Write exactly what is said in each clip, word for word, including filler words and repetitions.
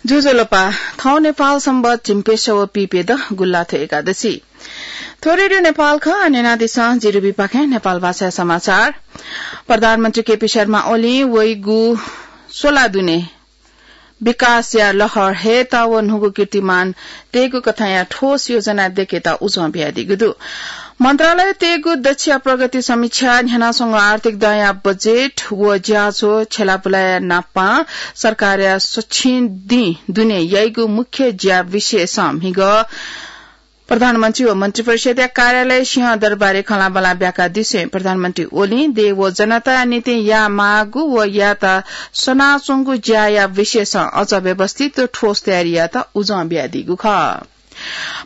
ज्वजलपा, थौं नेपाल संवत् झिंप्यसः व पीप्यदँ गुल्लाथ्व एकादशी। थ्व रेडियो नेपाल खः, न्यनादिसँ जिरिबीपाखें नेपाल भाषाया समाचार। प्रधानमन्त्री केपी शर्मा ओलीं वइगु स्वला दुने विकासया लहर हयेत व न्हूगु कीर्तिमान तयेगु कथंया ठोस योजना दयेकेत उजं बियादीगु दु। मन्त्रालयं तयेगु दच्छिया प्रगति समीक्षा, न्ह्यानाच्वंगु आर्थिक दँया बजेट व ज्याझ्वः छ्यलाबुलाया नापं सरकारया सक्षम दिं दुने याइगु मुख्य ज्या विषयसं म्हिगः प्रधानमन्त्री व मन्त्रिपरिषदया कार्यालय सिंहदरबारय् खँल्हाबल्हा ब्याकादिसें प्रधानमन्त्री ओलीं देय् व जनताया निंतिं यायेमाःगु व यायेत सनाच्वंगु ज्याया विषयसं अझ व्यवस्थित व ठोस तयारी यायेत उजं बियादीगु खः।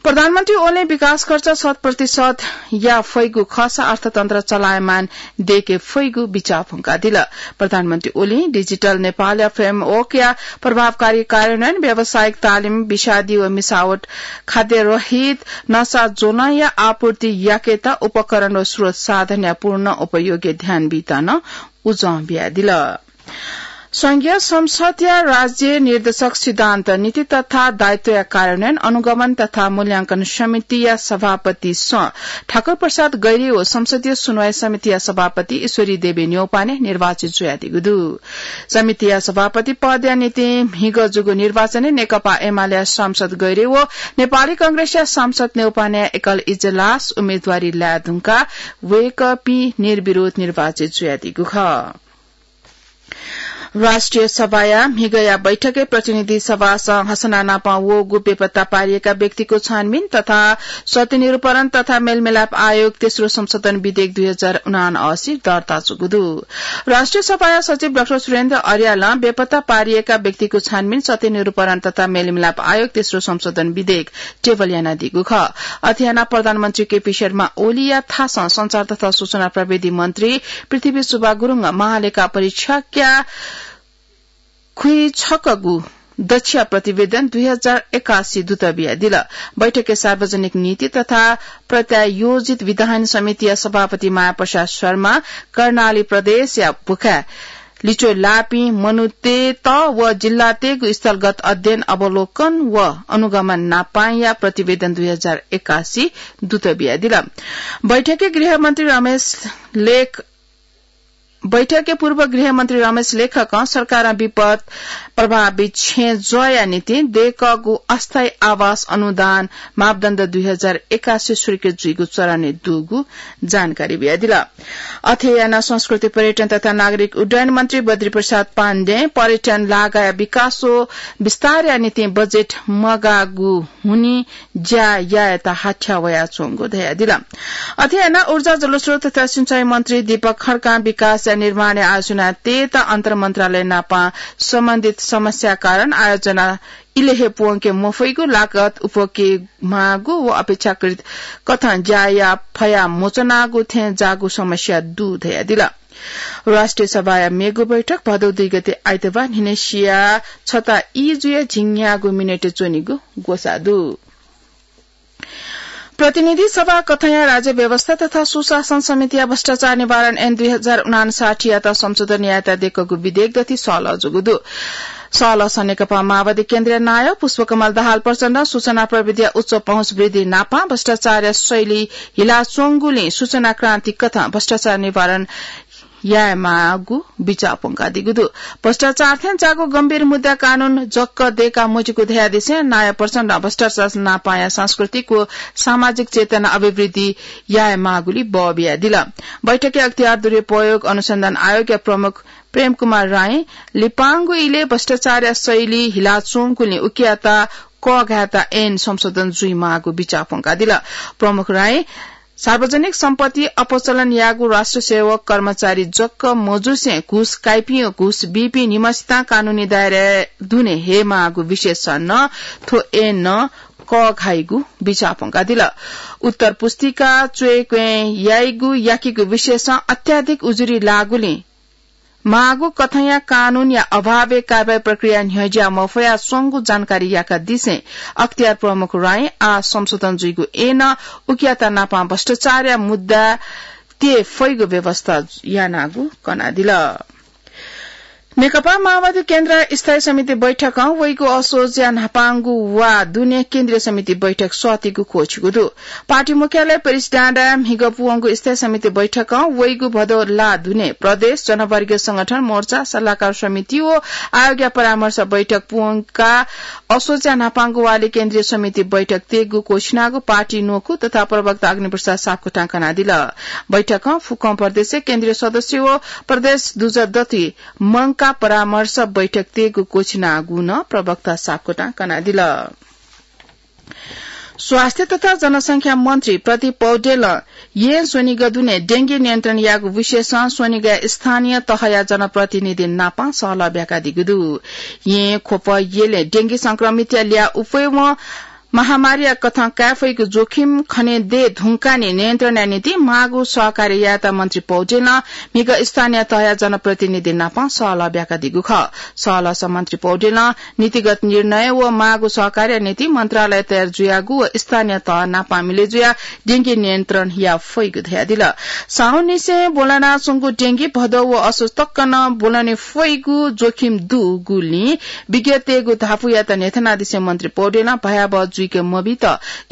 प्रधानमन्त्री ओलीं विकास खर्च शत प्रतिशत याये फइगु खःसा अर्थतन्त्र चलायमान दयेके फइगु बिचाः प्वंकादिल। प्रधानमन्त्री ओलीं डिजिटल नेपालया framework-या प्रभावकारी कार्यान्वयन, व्यावसायिक तालिम, विषादी व मिसावट, खाद्य रहित नसा ज्वलंया आपूर्ति याकेत उपकरण व स्रोत साधनया पूर्ण उपयोगय् ध्यान बीत नं उजं बियादिल। संघीय संसदया राज्य निर्देशक सिद्धान्त, नीति तथा दायित्वया कार्यान्वयन, अनुगमन तथा मूल्यांकन समितिया सभापतिसं ठाकुर प्रसाद गैह्रे व संसदीय सुनवाई समितिया सभापति ईश्वरी देवी न्यौपाने निर्वाचित जुयादीगु दु। समितिया सभापति पदया निंतिं म्हिगः जूगु निर्वाचनय् नेकपा एमालेया सांसद गैह्रे व नेपाली कांग्रेसया सांसद न्यौपानेया एकल इजलास उम्मेदवारी लाये धुंकाः वय्कःपिं निर्विरोध निर्वाचित जुयादीगु खः। राष्ट्रिय सभाया म्हिगःया बैठकय् प्रतिनिधि सभासं हसना नाप वःगु बेपत्ता पारिएका व्यक्तिको छानबिन तथा सत्य निरूपण तथा मेलमिलाप आयोग तेस्रो संशोधन विधेयक दुई हजार उनासी दर्ता जूगु दु। राष्ट्रिय सभाया सचिव डाक्टर सुरेन्द्र अर्यालं बेपत्ता पारिएका व्यक्तिको छानबिन, सत्य निरूपण तथा मेलमिलाप आयोग तेस्रो संशोधन विधेयक टेबल यानादीगु खः। अथे यानाः प्रधानमन्त्री केपी शर्मा ओलीया थासं संचार तथा सूचना प्रविधि मन्त्री पृथ्वी सुब्बा गुरुङं महालेखा परीक्षकया खुइछकःगु दच्छिया प्रतिवेदन दुई हजार एकासी दुत बियादिल। बैठकय् सार्वजनिक नीति तथा प्रत्यायोजित विधायन समितिया सभापति माया प्रसाद शर्मा, कर्णाली प्रदेशया भुखाय् लिच्वय् लाःपिं मनूतय्त व जिल्लातय्गु स्थलगत अध्ययन, अवलोकन व अनुगमन नापांया प्रतिवेदन दुई हजार एकासी दुत बियादिल। बैठकय् गृहमन्त्री रमेश लेख बैठकय् पूर्व गृहमन्त्री रमेश लेखकं सरकारं विपद प्रभावित छेँ ज्वःया निंतिं दयेकःगु अस्थायी आवास अनुदान मापदण्ड दुई हजार एकासी स्वीकृत जुइगु चरणय् दुगु जानकारी बियादिल। अथे यानाः संस्कृति, पर्यटन तथा नागरिक उड्डयन मन्त्री बद्री प्रसाद पाण्डें पर्यटन लागाया विकास व विस्तारया निंतिं बजेट मगाःगु हुनिं ज्या यायेत हाथ्या वयाच्वंगु धयादिल। अथे यानाः ऊर्जा, जलस्रोत तथा सिँचाइ मन्त्री दीपक खड्कां विकासया निर्माणय् आयोजना तयेत अन्तर मन्त्रालय नाप सम्बन्धित समस्या कारण आयोजना इलय् हे प्वंके मफइगु, लागत उप्वके माःगु व अपेक्षाकृत कथं ज्या याये फया मच्वनागु थें जाःगु समस्या दु धयादिल। राष्ट्रिय सभाया मेगु बैठक भदौ दुई गते आइतबार न्हिनय् सिया छता ई जुया झिंन्यागू मिनेटय् च्वनीगु ग्वसाः दु। प्रतिनिधि सभा कथंया राज्य व्यवस्था तथा सुशासन समितिया भ्रष्टाचार निवारण ऐन दुई हजार उनासाठीयात संशोधन यायेत दयेकूगु विधेयक दथि सहलह जूगु दु। सहलहसं नेकपा माओवादी केन्द्रीय नायः पुष्पकमल दाहाल प्रचण्डं सूचना प्रविधिया उच्च पहुँच वृद्धि नापं भ्रष्टाचारया शैली हिलाच्वंगुलिं सूचना क्रान्ति कथं भ्रष्टाचार निवारण यायेमाःगु बिचाः प्वंकादीगु दु। भ्रष्टाचार थें जाःगु गम्भीर मुद्दा कानून जक दयेका मज्यूगु धयादिसें नायः प्रचण्डं भ्रष्टाचार नापंया सांस्कृतिक व सामाजिक चेतना अभिवृद्धि यायेमाःगुली बः बियादिल। बैठकय् अख्तियार दुरुपयोग अनुसन्धान आयोगया प्रमुख प्रेम कुमार राईं लिपांगु इलय् भ्रष्टाचारया शैली हिलाच्वंगुलिं उकियात कःघायेत ऐन संशोधन जुइमाःगु बिचाः प्वंकादिल। प्रमुख राईं सार्वजनिक सम्पत्ति अपचलन याःगु राष्ट्र सेवक कर्मचारी जक मजुसें घुस काइपिं व घुस बीपिं निम्हसितं कानूनी दायराय् दुने हयेमाःगु विषयसं नं थ्व ऐनं कःघाइगु बिचाः प्वंकादिल। उत्तर पुस्तिका च्वय् क्वय् याइगु याकीगु विषयसं अत्याधिक उजुरी लाःगुलिं माःगु कथंया कानूनया अभावय् कारवाही प्रक्रिया न्ह्यज्या मफयाच्वंगु जानकारी याकादिसें अख्तियार प्रमुख राईं आः संशोधन जुइगु ऐनं उकियात नापं भ्रष्टाचारया मुद्दा तये फइगु व्यवस्था यानागु कनादिल। नेकपा माओवादी केन्द्र स्थायी समिति बैठकं वइगु असोजया न्हापांगु वा दुने केन्द्रीय समिति बैठक सःतीगु क्वःछिगु दु। पार्टी मुख्यालय प्रेसिडेन्ट म्हिगः पुवंगु स्थायी समिति बैठकं वइगु भदौ ला दुने प्रदेश, जनवर्गीय संगठन, मोर्चा, सल्लाहकार समिति व आयोगया परामर्श बैठक पुवंका असोजया न्हापांगु वाले केन्द्रीय समिति बैठक तेगु क्वःछिनागु पार्टी न्वकू तथा प्रवक्ता अग्निप्रसाद सापकोटां कनादिल। बैठकं फुक्कं प्रदेश केन्द्रीय सदस्य व प्रदेश दुजः दथुइ मंकाः परामर्श बैठक तेगु क्वःछिनागु नं प्रवक्ता सापकोटां कनादिल। स्वास्थ्य तथा जनसंख्या मन्त्री प्रदीप पौडेलं येँ स्वनिगः दुने डेंगी नियन्त्रण यायेगु विषयसं स्वनिगःया स्थानीय तहया जनप्रतिनिधि नापं सहलह ब्याकादीगु दु। येँ ख्वप यलय् डेंगी संक्रमितया ल्याः उफेवं महामारीया कथं काये फइगु जोखिम खने दये धुंकाः नियन्त्रणया निंतिं माःगु सहकार्य यायेत मन्त्री पौडेलं म्हिगः स्थानीय तहया जनप्रतिनिधि नापं सहलह ब्याकादीगु खः। सहलहसं मन्त्री पौडेलं नीतिगत निर्णय व माःगु सहकार्यया निंतिं मन्त्रालय तयार जुयागु व स्थानीय तह नापं मिलय् जुयाः डेंगी नियन्त्रण याये फइगु धयादिल। साउननिसें ब्वलनाच्वंगु डेंगी भदौ व असोज तक नं ब्वलने फइगु जोखिम दुगुलिं विज्ञतय्गु धापुयात न्ह्यथनादिसें मन्त्री पौडेलं भयावह जुइके मबीत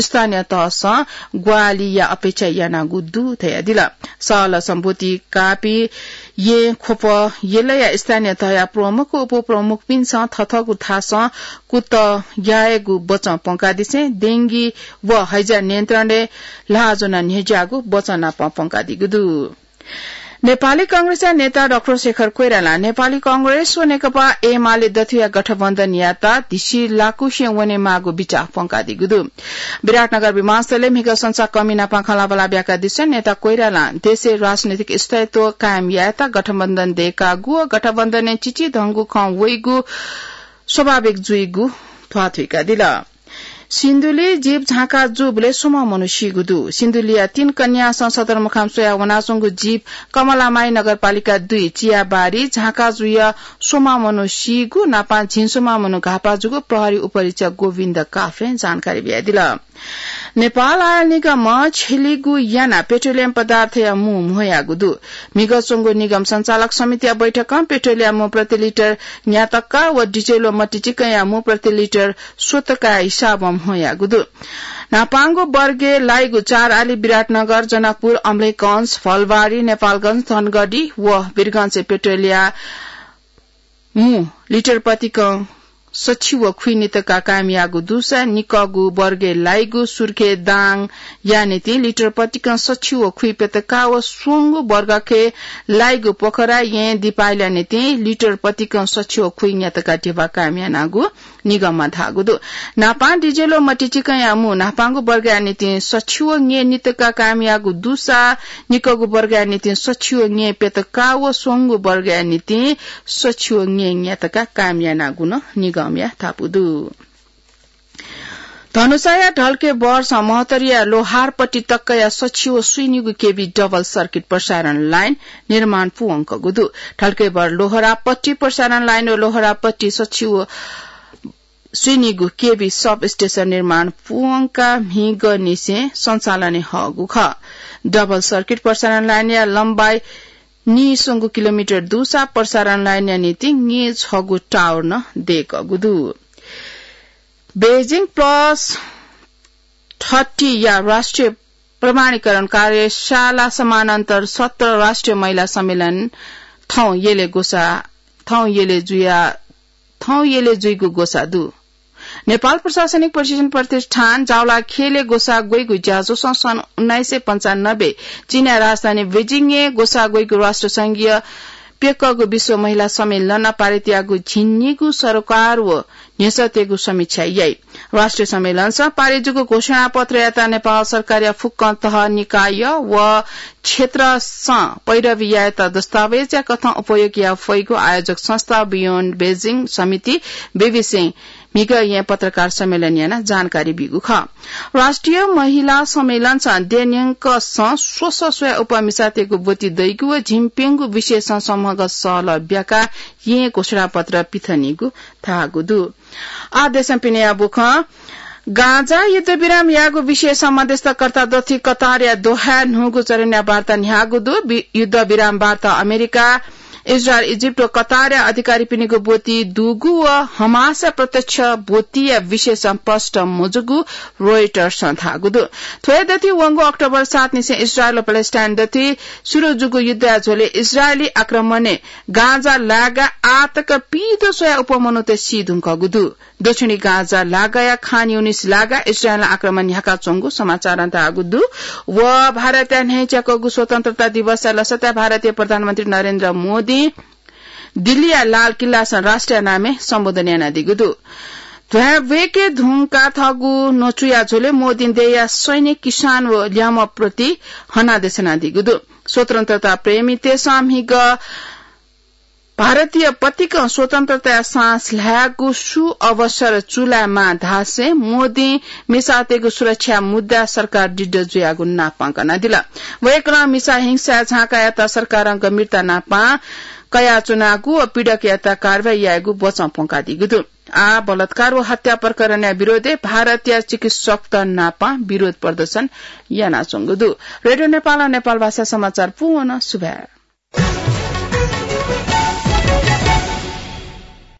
स्थानीय तहसं ग्वाहालिया अपेक्षा यानागु दु धयादिल। सहलहसं ब्वति काःपिं येँ ख्वप यलया स्थानीय तहया प्रमुख व उपप्रमुखपिन्सं थथःगु थासं कुतः यायेगु बचं प्वंकादिसें डेंगी व हैजा नियन्त्रणय् ल्हाः ज्वनाः न्ह्यज्याःगु बचं नापं प्वंकादीगु दु। नेपाली कांग्रेसया नेता डाक्टर शेखर कोइरालां नेपाली कांग्रेस व नेकपा एमाले दथुया गठबन्धनयात धिसिलाकुसे वनेमाःगु बिचाः प्वंकादीगु दु। विराटनगर विमानस्थलय् म्हिगः संसाकःमि नापं खँल्हाबल्हा ब्याकादिसें नेता कोइरालां देशय् राजनैतिक स्थायित्व कायम यायेत गठबन्धन दयेकागु व गठबन्धनय् चिचिधंगु खँ वइगु स्वाभाविक जुइगु ध्वाथुइकादिल। सिन्धुली जीप झांका जूबलय् स्वम्ह मनू सीगु दु। सिन्धुलीया तीन कन्यासं सदरमुकाम स्वयाः वनाच्वंगु जीप कमलामाई नगरपालिका दुई चियाबारी झांका जुयाः स्वम्ह मनू सीगु नापं झिंस्वम्ह मनू घाःपाः जूगु प्रहरी उपरीक्षक गोविन्द काफ्लें जानकारी बियादिल। नेपाल आयल निगमं छेलिगु यानाः पेट्रोलियम पदार्थया मू म्ह्वयागु दु। म्हिगः च्वंगु निगम सञ्चालक समितिया बैठकं पेट्रोलियम मू प्रति लिटर न्यातका व डिजेल व मट्टीचिकनया मू प्रति लिटर स्वतका हिसाबं म्ह्वयागु दु। न्हापांगु वर्गय् लाइगु चार आली विराटनगर, जनकपुर, अमलेखगंज, फलबारी, नेपालगंज, धनगढी व वीरगंजय् पेट्रोलया मू लिटर प्रतिकं सछि व खुइ नितका कायम याःगु दुसा निकःगु वर्गय् लाइगु सुर्खेत, दाङया निंतिं लिटर प्रतिकं सछि व खुइ प्यतका व स्वंगु वर्गखे लाइगु पोखरा, येँ, दिपायलया निंतिं लिटर प्रतिकं सछि व खुइ न्यातका ध्यबा कायम यानागु निगमं धाःगु दु। न्हापां डिजेल व मट्टीचिकनया मू न्हापांगु वर्गया निंतिं सछि व न्यय् नितका कायम याःगु दुसा निकःगु वर्गया निंतिं सछि व न्यय् प्यतका व स्वंगु वर्गया निंतिं सछि व न्यय् न्यातका कायम यानागु नं निगमया धापू दु। धनुषाया ढल्केबरसं महोत्तरीया लोहारपट्टि तकया सछि व स्वीनिगू केभी डबल सर्किट प्रसारण लाइन निर्माण पूवंकगु दु। ढल्केबर लोहरापट्टि प्रसारण लाइन व लोहरापट्टि सछि व स्वीनिगू केभी सब स्टेशन निर्माण पूवंकाः म्हिगःनिसें सञ्चालनय् हःगु खः। डबल सर्किट प्रसारण लाइनया लम्बाइ नीस्वंगू किलोमिटर दुसा प्रसारण लाइनया निंतिं नीछगू टावर नं दयेकगु दु। बेजिङ प्लस थर्टी या राष्ट्रिय प्रमाणीकरण कार्यशाला समानान्तर सत्र राष्ट्रिय महिला सम्मेलन थौं यलय् ग्वसाः, थौं यलय् जुया, थौं यलय् जुइगु ग्वसाः दु। नेपाल प्रशासनिक प्रशिक्षण प्रतिष्ठान जावलाखेलय् ग्वसाः ग्वइगु ज्याझ्वलं सन् उन्नाइस सय पन्चानब्बे चीनया राजधानी बेजिङय् ग्वसाः ग्वइगु राष्ट्र संघीय प्यकःगु विश्व महिला सम्मेलनं पारित याःगु झिंनिगू सरोकार व न्ह्यसःतेगु समीक्षा याइ। राष्ट्रिय सम्मेलनसं पारित जूगु घोषणापत्रयात नेपाल सरकारया फुक्कं तह, निकाय व क्षेत्रसं पैरवी यायेत दस्तावेजया कथं उपयोग याये फइगु आयोजक संस्था बियोन्ड बेजिङ समिति, बेबिसें म्हिगः येँ पत्रकार सम्मेलन यानाः जानकारी बीगु खः। राष्ट्रिय महिला सम्मेलनसं देय्‌न्यंकसं स्वस्वस्वया उपमिसातय्‌गु ब्वति दइगु व झिंप्यंगू विषयसं सम्हगः सहलह ब्याकाः येँ घोषणापत्र पिथनीगु धाःगु दु। आः देशं पिनेया बुखँ। गाजा युद्धविराम याःगु विषयसं मध्यस्थकर्ता दथुइ कतारया दोहाय् न्हूगु चरणया वार्ता न्ह्याःगु दु। वि-, युद्धविराम वार्ता अमेरिका, इजरायल, इजिप्ट व कतारया अधिकारीपिनिगु ब्वति दुगु व हमासया प्रत्यक्ष ब्वतिया विषयसं स्पष्ट मजूगु रोइटर्सं धाःगु दु। थ्व दथुइ वंगु अक्टोबर सात निसें इजरायल व प्यालेस्टाइन दथुइ सुरु जूगु युद्धया झ्वलय् इजरायली आक्रमणय् गाजा लागाय् आःतक पीदँ स्वयाः अप्वः मनूत सी धुंकूगु दु। दक्षिणी गाजा लागाया खान युनिस लागाय् इजरायलं आक्रमण न्ह्याकाच्वंगु समाचारं धाःगु दु। व भारतया न्ह्यइच्याकूगु स्वतन्त्रता दिवसया लसताय् भारतीय प्रधानमन्त्री नरेन्द्र मोदीं दिल्लीया लाल किल्लासं राष्ट्रिय नामय् सम्बोधन यानादीगु दु। ध्वाँय् ब्वय्के धुंकाः थःगु न्वचुया झ्वलय् मोदीं देय्‌या सैनिक, किसान व ल्याय्म्ह प्रति हनादेश यानादीगु दु। स्वतन्त्रता प्रेमीतय्‌सं म्हिगः भारतीय पतिकं स्वतन्त्रताया सास ल्हायेगु सु अवसर चूलायेमाः धासें मोदीं मिसातय्‌गु सुरक्षा मुद्दाय् सरकार दृढ जुयागु नापं कनादिल। वय्‌कलं मिसा हिंसाय् झांकायात सरकारं गम्भीरता नापं कयाच्वनागु व पीडकयात कारवाही यायेगु बचं प्वंकादीगु दु। आः बलात्कार व हत्या प्रकरणया विरोधय् भारतया चिकित्सकत नापं विरोध प्रदर्शन यानाच्वंगु दु। रेडियो नेपालं नेपाल भाषा समाचार पूवन सुभाय्।